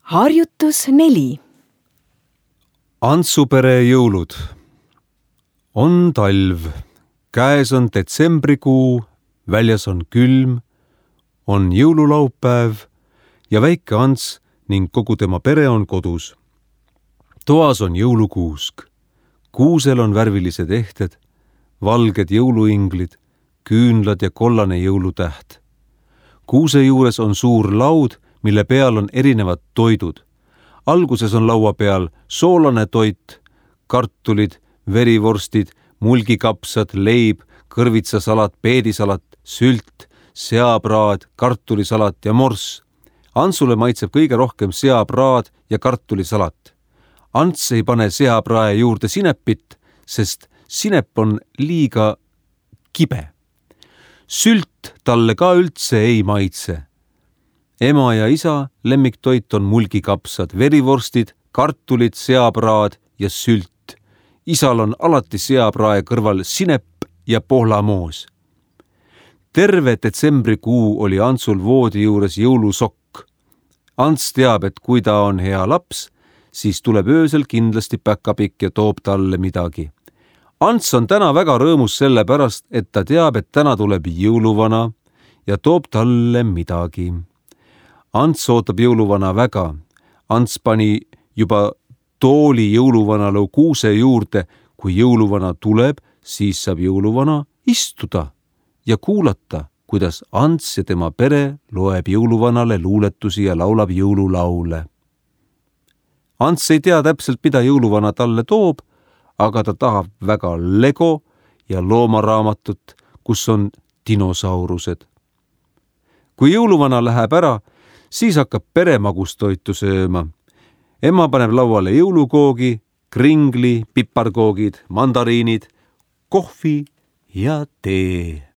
Harjutus 4. Antsupere jõulud. On talv, käes on detsembrikuu, väljas on külm, on jõululaupäev ja väike Ants ning kogu tema pere on kodus. Toas on jõulukuusk. Kuusel on värvilised ehted, valged jõuluinglid, küünlad ja kollane jõulutäht. Kuuse juures on suur laud, mille peal on erinevad toidud. Alguses on laua peal soolane toit, kartulid, verivorstid, mulgikapsad, leib, kõrvitsasalat, peedisalat, sült, seapraad, kartulisalat ja morss. Antsule maitseb kõige rohkem seapraad ja kartulisalat. Ants ei pane seaprae juurde sinepit, sest sinep on liiga kibe. Sült talle ka üldse ei maitse. Ema ja isa lemmiktoit on mulgikapsad, verivorstid, kartulid, seapraad ja sült. Isal on alati seaprae kõrval sinep ja pohlamoos. Terve detsembrikuu oli Antsul voodi juures jõulusokk. Ants teab, et kui ta on hea laps, siis tuleb öösel kindlasti päkapikk ja toob talle midagi. Ants on täna väga rõõmus selle pärast, et ta teab, et täna tuleb jõuluvana ja toob talle midagi. Ants ootab jõuluvana väga. Ants pani juba tooli jõuluvanale kuuse juurde. Kui jõuluvana tuleb, siis saab jõuluvana istuda ja kuulata, kuidas Ants ja tema pere loeb jõuluvanale luuletusi ja laulab jõululaule. Ants ei tea täpselt, mida jõuluvana talle toob, aga ta tahab väga Lego ja loomaraamatut, kus on dinosaurused. Kui jõuluvana läheb ära, siis hakkab pere magustoitu sööma. Ema paneb lauale jõulukoogi, kringli, piparkoogid, mandariinid, kohvi ja tee.